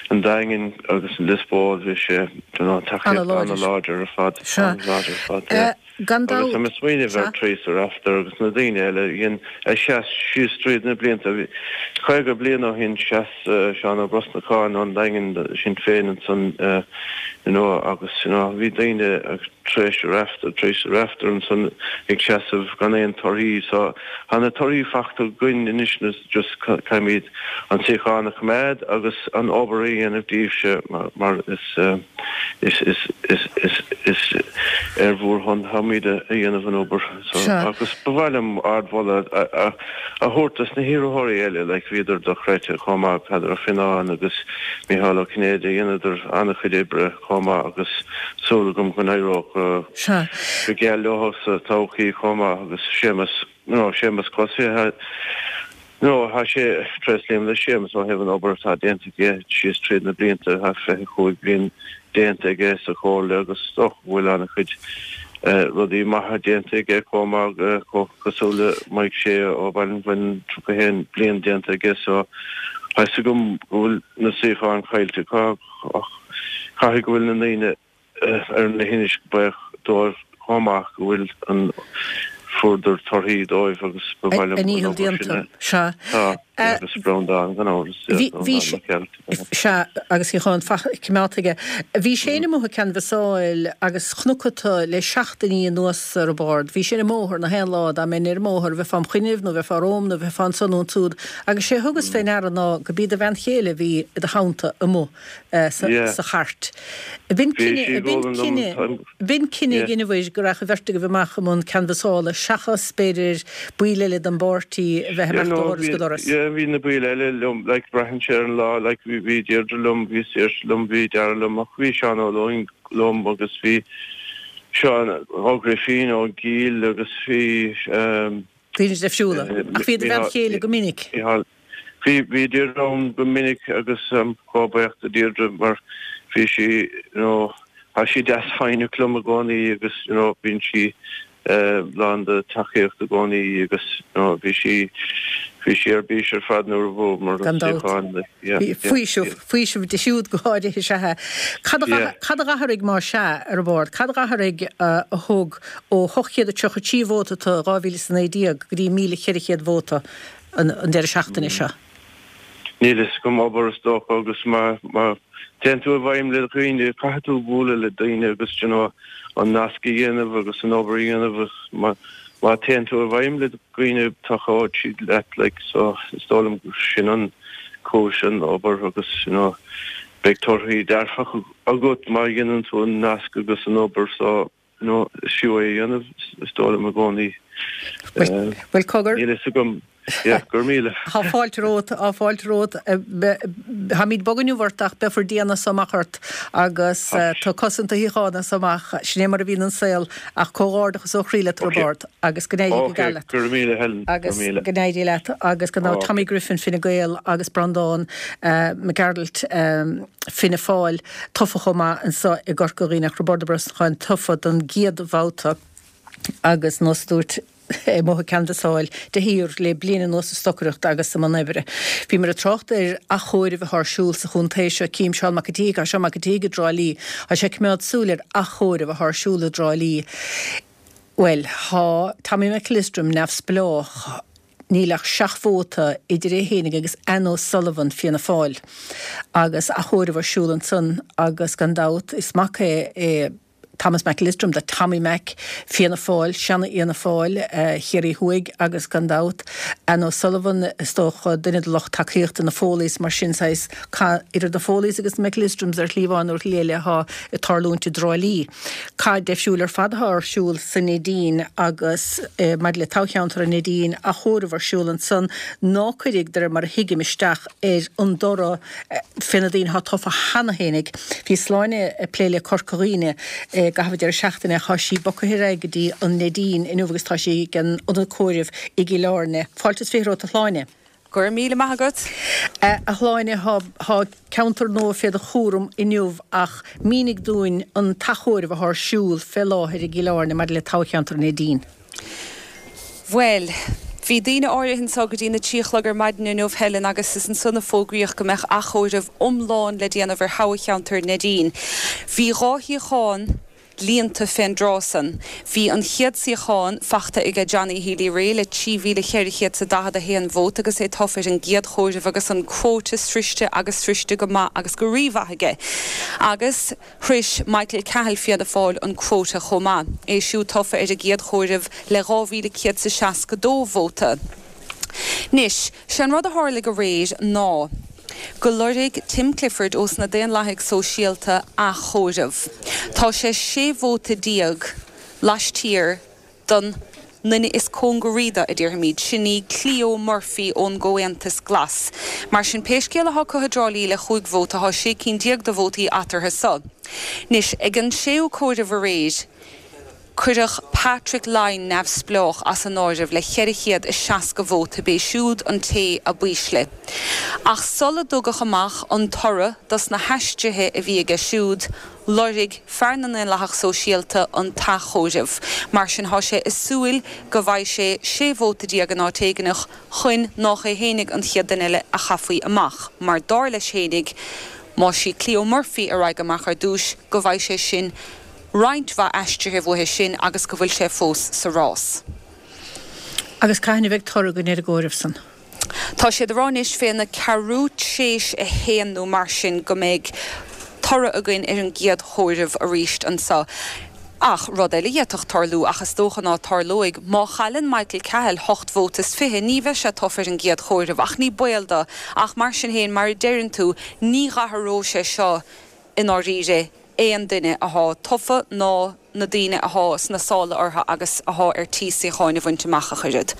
an Daingean agus an Lios Póil bhí sé you know tacaíocht an-láidir ar fad an-láidir ar fad yeah. Gan Agus dabht. tá mé ag smaoineamh ar Sea. Theresa Wrafter agus na daoine eile a dhein a sheas síos tríd na blianta. Bhí caoga bliain ó shin sheas Seán Ó Brosnacháin ón Daingean do Sinn Féin ansan you know agus you know bhí daoine Theresa Wrafter, Theresa Wrafter ansan ag seasamh gan aon torthaí so tá na torthaí fachta againn anois na just caithfimid an suíochán a choimeád agus an obair a dhéanamh daoibhse mar is is is is is is ar bhur shon táimid a dhéanamh an obair so agus ba mhaith liom ardmholadh a a a thabhairt dos na hiarrthóirí eile like bhíodar dochreidte chomh maith Peadar Ó Fionnáin agus Micheál Ó Cinnéide dheineadar an-chuid oibre chomh maith agus súil agam go n-éireoidh go go geal leo sa todhchaí chomh maith agus Séamus you know Séamus Cosse No, tá sé, tréaslaím le Séamus ó thaobh an obair atá déanta aige síos tríd na blianta, tá fiche cúig bliain déanta aige sa Chomhairle agus is dócha go bhfuil an-chuid rudaí maithe déanta aige chomh maith, cosúil le Mike Shea ó Bhaile an Bhuin, tríocha haon bliain déanta aige so tá 'fhios agam go bhfuil na suíocháin caillte acu ach caithfidh go bhfuil na ndaoine ar na hInis buíoch dóibh chomh maith go bhfuil an fuaireadar torthaí dóibh agus ba mhaith liom A an ndícheall obair sin déanta. a Sea. Tá, agus Breandán gan amhras, Bhí, bhí Breandán sé, Mac Gearailt. sea, agus suíochán coimeádta aige. Bhí Shane amuigh ag canbhasáil agus chonac tú le seachtainí anuas ar an bord. Bhí sé ar an mbóthar na haon lá, dá mbeinn ar an mbóthar, bheifeá im choinnibh nó bheifeá romham nó bheifeá anso nó ansúd. Agus sé a thugas fé ndeara ná go b'í do bhean chéile a bhí i do theannta amuigh sa chairt. B'in cinneadh, b'in cinneadh, b'in cinneadh a dheineabhair go raghadh an bheirt agaibh amach i mbun canbhasála seachas, b'fhéidir, baill eile den bpáirtí a bheith ag imeacht ó dhoras go doras. Yeah, bhí na baill eile liom, like, braitheann sé ar an lá, like, bhí, bhí Deirdre liom, bhí Saoirse liom, bhí Dara liom, ach bhí Seán Ó Lúing liom agus bhí Seán Ó Grifín ón gCill agus bhí, ehm, Daoine difriúla. Ach bhí do bhean chéile go minic. Micheál, Bhí, bhí Deirdre ann go minic agus táim chomh buíoch do Deirdre mar bhí sí, you know, tá sí deas foighneach liom i gcónaí agus, you know, bíonn sí lán de tacaíocht i gcónaí agus, you know, bhí sí, bhí sí ar bís ar fad nuair a bhuamar Gan an dabht. suíochán, like, yeah, Bhí yeah, faoiseamh, yeah. faoiseamh di siúd go háirithe, is ea. Cad a, Yeah. cad a d'athraigh más ea ar an bhord? Cad a d'athraigh a thug ó hocht chéad a tríocha trí vóta i dhá mhíle is a naoi déag go dtí míle ceithre chéad vóta? an deireadh seachtaine seo. Níl fhios agam, obair is dócha agus má má téann tú i bhfeidhm le dhaoine, caithfidh tú bualadh le daoine agus you know an nasc a dhéanamh agus an obair a dhéanamh agus má má téann tú i bhfeidhm le dhaoine tacóidh siad leat like so is dóigh liom gur sin an cúis an obair agus you know beidh torthaí dearfacha agat má dhéanann tú an nasc agus an obair so you know is fiú é a dhéanamh is dóigh liom i gcónaí. Bhuel cogar. Níl fhios agam. Yeah, go raibh míle. Tá fáilte romhat, tá fáilte romhat. Táimid bog inniu ort ach beifear dian as amach ort agus tá cosaint do shuíochán as amach. Sin é mar a bhíonn an saol ach comhghairdeachas ó chroí leat Roibeárd agus go n-éirí go geal leat. Go raibh míle Helen. Agus go n-éirí leat agus go raibh Tommy Griffin Fine Gael agus Breandán Mac Gearailt Fianna Fáil tofa chomh maith anseo i gCorca Dhuibhne ach Roibeárd Ó Brosnacháin tofa don gcéad bhabhta agus nós a dúirt amuigh ag canbhasáil de shíor le bliain anuas ag stocaireacht agus i mbun oibre. Bhíomar ag trácht ar athchomhaireamh atá ar siúl sa chontae seo. Cím Seán Mac an tSíthigh, tá Seán Mac an tSíthigh i dTrá Lí. Tá sé ag coimeád súil ar athchomhaireamh atá ar siúl i dTrá Lí. Bhuel, tá Tommy McEllistrim neamhspleách. Níl ach seacht vóta idir é fhéinig agus Anne O'Sullivan, Fianna Fáil, agus athchomhaireamh ar siúl ansan agus gan dabht is mac é é Thomas McEllistrim do Tommy Mac, Fianna Fáil, seana-Fhianna Fáil, Chiarraí Thuaidh agus gan dabht Anne O'Sullivan, is dócha, duine de lucht tacaíochta na Foleys, mar sin saghas cath idir na Foleys agus na McEllistrims ar shlí amháin nó ar shlí eile atá ag tarlúint i dTrá Lí. Cath deifriúil ar fad atá ar siúl sa Neidín agus maidir le toghcheantar an Neidín, athchomhaireamh ar siúl ansan ná cuirfidh, de réir mar a thuigim, isteach ar an dtoradh fé na daoine atá tofa cheana fhéinig. Bhí Sláine ag plé le Corca Dhuibhne i gcaitheamh an deireadh seachtaine. Tá sí bogtha ar aghaidh go dtí an Neidín inniu agus tá sí ag an ionad comhairimh i gCill Airne. Fáilte is fiche romhat, a Shláine. Go raibh míle maith agat. A Shláine, tá ceantar nua fé do chúram inniu ach mínigh dúinn an t-athchomhaireamh atá ar siúl fé láthair i gCill Airne maidir le toghcheantar an Neidín. Bhuel, bhí daoine áirithe anseo go dtí na trí a chlog ar maidin inniu, Helen, agus is ansan a fógraíodh go mbeadh athchomhaireamh iomlán le déanamh ar thoghcheantar Neidín. Bhí dhá shuíochán líonta fén dtráth san. Bhí an chéad suíochán fachta aige Johnny Healy-Rae le trí mhíle cheithre chéad 's a daichead a haon vóta agus é tofa ar an gcéad chomhaireamh agus an quota sroiste agus sroiste go maith agus go rímhaith aige. Agus shrois Michael Cahill Fianna Fáil an quota chomh maith, é siúd tofa ar an gcéad chomhaireamh le dhá mhíle céad 's a seasca dó vóta. Anois, sé an rud a tharlaigh aréir ná go loirg Tim Clifford ós na Daonlathaigh Sóisialta athchomhaireamh. Tá sé sé vóta déag laistiar don nduine is cóngaraí do, a déarfaimid, sin í Cleo Murphy ón gComhaontas Glas. Mar sin, pé scéal athá acu i dTrá Lí le chúig vóta, thá sé cinn déag de vótaí eatarthu so. Anois, ag an séú comhaireamh aréir, cuireadh Patrick Lyne, neamhspleách, as an áireamh le ceithre chéad is seasca vóta, b'é siúd an té a b'ísle. Ach sula dtugadh amach an toradh dos na haistrithe a bhí aige siúd, Loirg fear na nDaonlathach Sóisialta an t-athchomhaireamh. Mar sin thá sé ag súil go bhfaighidh sé sé vóta déag in áit éigineach chun nách é fhéinig an chéad duine eile a chaithfí amach, mar dár leis fhéinig, má sí Cleo Murphy a raghaidh amach ar dtúis, go bhfaighidh sé sin roinnt mhaith aistrithe uaithe sin agus go bhfuil sé fós sa rás. Agus cathain a bheidh toradh againn ar an gcomhaireamh san? Tá siad a rá anois fé na ceathrú tréis a haon nó mar sin go mbeidh toradh againn ar an gcéad chomhaireamh arís anso. Ach rud eile a d'fhéadfadh tarlú, ach is dócha ná tarlóidh, má chailleann Michael Cahill hocht vóta is fiche, ní bheidh sé tofa ar an gcéad chomhaireamh, ach ní baol do. Ach mar sin féin, mar a deireann tú, ní dh'athróidh sé seo i ndáiríre aon duine athá tofa ná na daoine athá sna sála orthu agus athá ar tí suíocháin a bhaint amach ach oiread.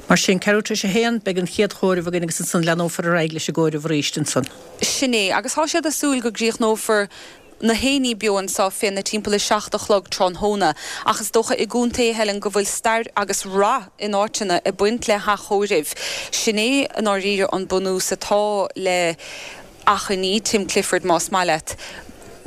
Mar sin, ceathrú tar éis a haon, beidh an chéad chomhaireamh againn agus ansan leanófar ar aghaidh leis an gcomhaireamh arís ansan. Sin é, agus thá siad ag súil go gcríochnófar na haonaí beo anso fé na timpeall a seacht a chlog tráthnóna. Ach is dócha i gcontae Helen go bhfuil stair agus rath in áiteanna ag baint le hathchomhairimh. Sin é i ndáiríre an bunús atá le achainí Tim Clifford más maith leat,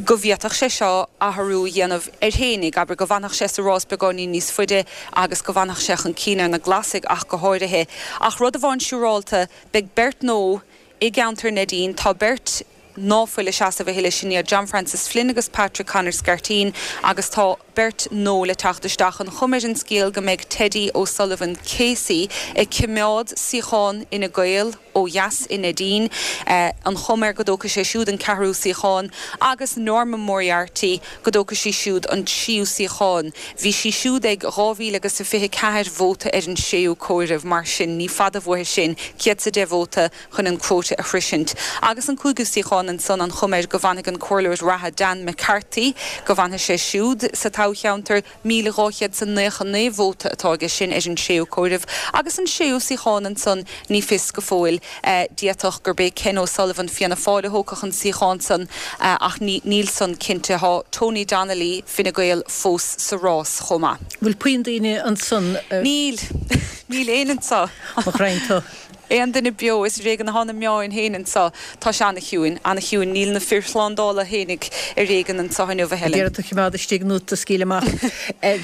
go bhféadfadh sé seo athrú a dhéanamh air fhéinig, abair, go bhfanfadh sé sa rás beagáinín níos faide agus go bhfanfadh sé chun cinn ar na Glasaigh ach go háirithe. Ach rud amháin siúrálta, beidh beirt nua i gceantar Neidín, tá beirt ná fuil ag seasamh a thuilleadh, sin iad John Francis Flynn agus Patrick Conor Scarteen agus tá beirt nua le teacht isteach. An chuma ar an scéal go mbeidh Teddy O'Sullivan Casey ag coimeád suíochán Fhine Gael ó dheas i Neidín, an chuma air go dtógfaidh sé siúd an ceathrú suíochán, agus Norma Moriarty go dtógfaidh sí siúd an tríú suíochán. Bhí sí siúd ag dhá mhíle agus a fiche ceathair vóta ar an séú comhaireamh, mar sin ní fada uaithe sin céad 's a deich vóta chun an quota a shroisint. Agus an cúigiú suíochán. suíochán ansan an chuma air go bhfanfaidh an comhairleoir reatha Dan McCarthy, go bhfanfaidh sé siúd sa toghcheantar. míle dhá chéad 's a naocha naoi vóta atá aige sin ar an séú comhaireamh agus an séú suíochán ansan ní fios go fóill. D'fhéadfadh gurb é Ken O'Sullivan, Fianna Fáil, a thógfadh an suíochán san ach níl san cinnte. Tá Tony Donnelly, Fine Gael, fós sa rás chomh maith. Bhfuil puinn daoine ansan? Níl. Níl éinne anso. Mo ghraidhin tú. Aon duine beo, is ar éigean atá na meáin féin anso. Tá sé ana-chiúin, ana-chiúin. Níl na fir shlándála fhéinig ar éigean anso inniu, a Helen. Ag iarraidh tú a choimeád istigh nó tú a scaoileadh amach.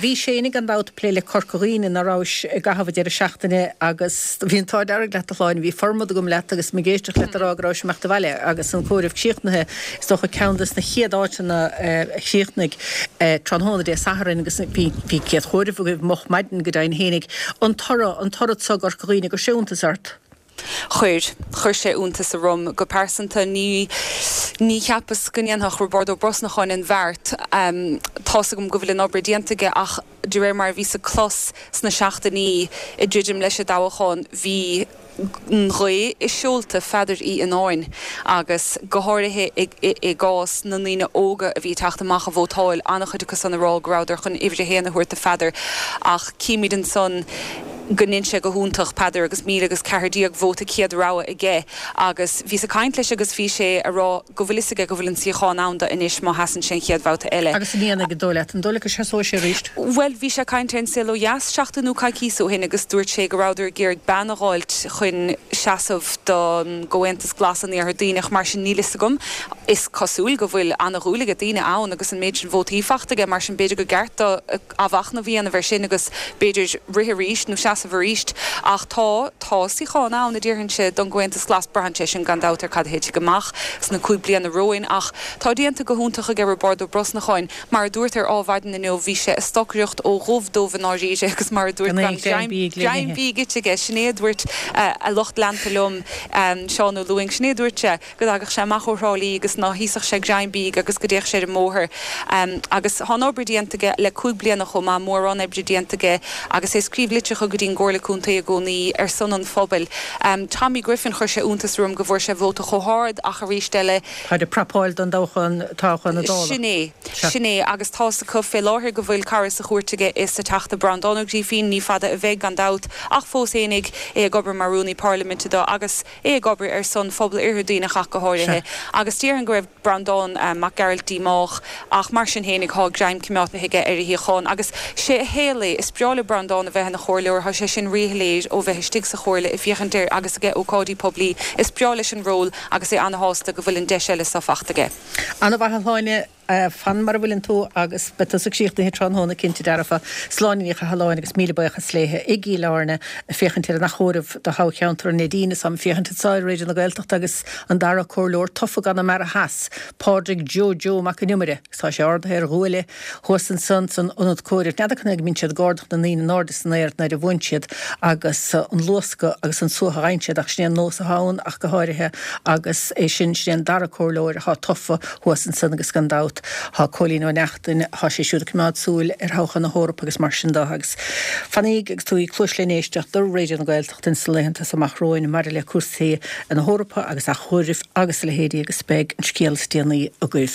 Bhís féinig gan dabht ag plé le Corca Dhuibhne, ná rabhais i gcaitheamh an deireadh seachtaine agus bhí an t-ádh dearg leat a Shláine, bhí formad agam leat agus mé ag éisteacht leat ag rá go rabhais ag imeacht abhaile agus an comhaireamh críochnaithe, is dócha ceann des na chéad áiteanna a chríochnaigh tráthnóna Dé Sathairn agus bhí bhí céad chomhaireamh agaibh moch maidin go deimhin fhéinig. An toradh, an toradh so i gCorca Dhuibhne, an gcuir sé iontas ort? Chuir. Chuir sé iontas orm go pearsanta. Ní, ní cheapas go ndéanfadh Roibeárd Ó Brosnacháin an bheart. Tá's agam go bhfuil an obair déanta aige ach de réir mar a bhíos ag clos sna seachtainí ag druidim leis an dtoghchán, bhí an ghaoth i seolta Pheadair Uí Fhionnáin agus go háirithe i gcás na ndaoine óga a bhí ag teacht amach a vótáil, an-chuid acu san a rá go rabhadar chun uimhir a haon a thabhairt do Pheadar ach címid ansan go ndein sé go hiontach, Peadar, agus míle agus ceathair déag vóta céad rogha aige agus bhíos ag caint leis agus bhí sé a rá go bhfuil fhios aige go bhfuil an suíochán ann do anois má sheasann sé an chéad bhabhta eile. Agus an ndéanfaidh, an dóigh leat? An dóigh leat go seasóidh sé arís? Bhuel, bhí sé ag caint ar An Saol Ó Dheas seachtain nó coicíos ó shin agus dúirt sé go rabhadar ag iarraidh bean a dh'fháilt chun seasamh don gComhaontas Glas in Iarthar Duibhneach, mar sin níl fhios agam. Is cosúil go bhfuil ana-dhúil aige daoine ann agus an méid sin vótaí fachta aige, mar sin b'fhéidir gur gceart do athmhachnamh a dhéanamh air sin agus b'fhéidir rith arís nó seasamh arís. Ach tá, tá suíochán ann, a déarfainnse, don gComhaontas Glas. Braitheann sé sin gan dabht ar cad a thitfidh amach sna cúig bliana romhainn. Ach tá déanta go hiontach aige Roibeárd Ó Brosnacháin. Mar a dúrt ar Ádhmhaidin inniu, bhí sé ag stocaireacht ó dhubh dubh i ndáiríre agus mar a dúrt Gan aon gan ghreim bídh le greim n-ithe. bídh ite aige. Sin é a dúirt a lucht leanta liom, Seán Ó Lúing, sin é a dúirt sé. go dtagadh sé amach ó Thrá Lí agus ná híosfadh sé greim bídh agus go dtéadh sé ar an mbóthar. Agus tá an obair déanta aige le cúig bliana chomh maith, mórán oibre déanta aige agus é ag scríobh litreacha go dtí'n gComhairle Contae i gcónaí ar son an phobail. Tommy Griffin, chuir sé iontas orm go bhfuair sé vóta chomh hard ach arís eile, Táid ag prapáil don dtoghchán, toghchán na Dála. Sin é. Sin é. Agus tá's acu fé láthair go bhfuil cara sa chúirt aige is sa Teachta Breandán Ó Grífín, ní fada a bheidh gan dabht, ach fós fhéinig, é ag obair mar Rúnaí Parlaiminte do agus é ag obair ar son phobal Oirthear Duibhneach ach go háirithe, agus déarfainn go raibh Breandán Mac Gearailt díomách, ach mar sin fhéinig thá greim coimeádta aige ar a shuíochán. Agus sé a shaol é, is breá le Breandán a bheith ina chomhairleoir, thá sé sin ríshoiléir ó bheith istigh sa chomhairle ag féachaint air agus aige ócáidí poiblí, is breá leis an ról agus é ana-shásta go bhfuil an deis eile so fachta aige. Ana-mhaith a Shláine. Fan mar a bhfuileann tú agus beidh tusa críochnaithe tráthnóna cinnte dearfa. Sláine Ní Chathalláin agus míle buíochas léithe i gCill Airne ag féachaint ar an achomhaireamh do thoghcheantar an Neidín is táim ag féachaint anseo ar Raidió na Gaeltachta agus an dara comhairleoir tofa i gConamara Theas, Pádraig Joe Joe Mac an Iomaire agus tá sé ardaithe ar ghuaille thuas ansan san ionad comhairimh. N'fheadar canathaobh go mbíonn siad ag ardach na ndaoine in airde san aer nuair a bhuann siad agus an luascadh agus an suaitheadh a fhaigheann siad ach sin é an nós atá ann ach go háirithe agus é sin, sin é an dara comhairleoir atá tofa thuas ansan agus gan dabht thá Cóilín Ó Neachtain, thá sé siúd ag coimeád súil ar thoghchán na hEorpa agus mar sin de agus fanaíg agus tabhaigí cluais len éisteacht do Raidió na Gaeltachta ins na laethanta so amach romhainn maidir le cúrsaí na hEorpa agus achomhairimh agus a leithéidí agus beidh an scéal is déanaí agaibh.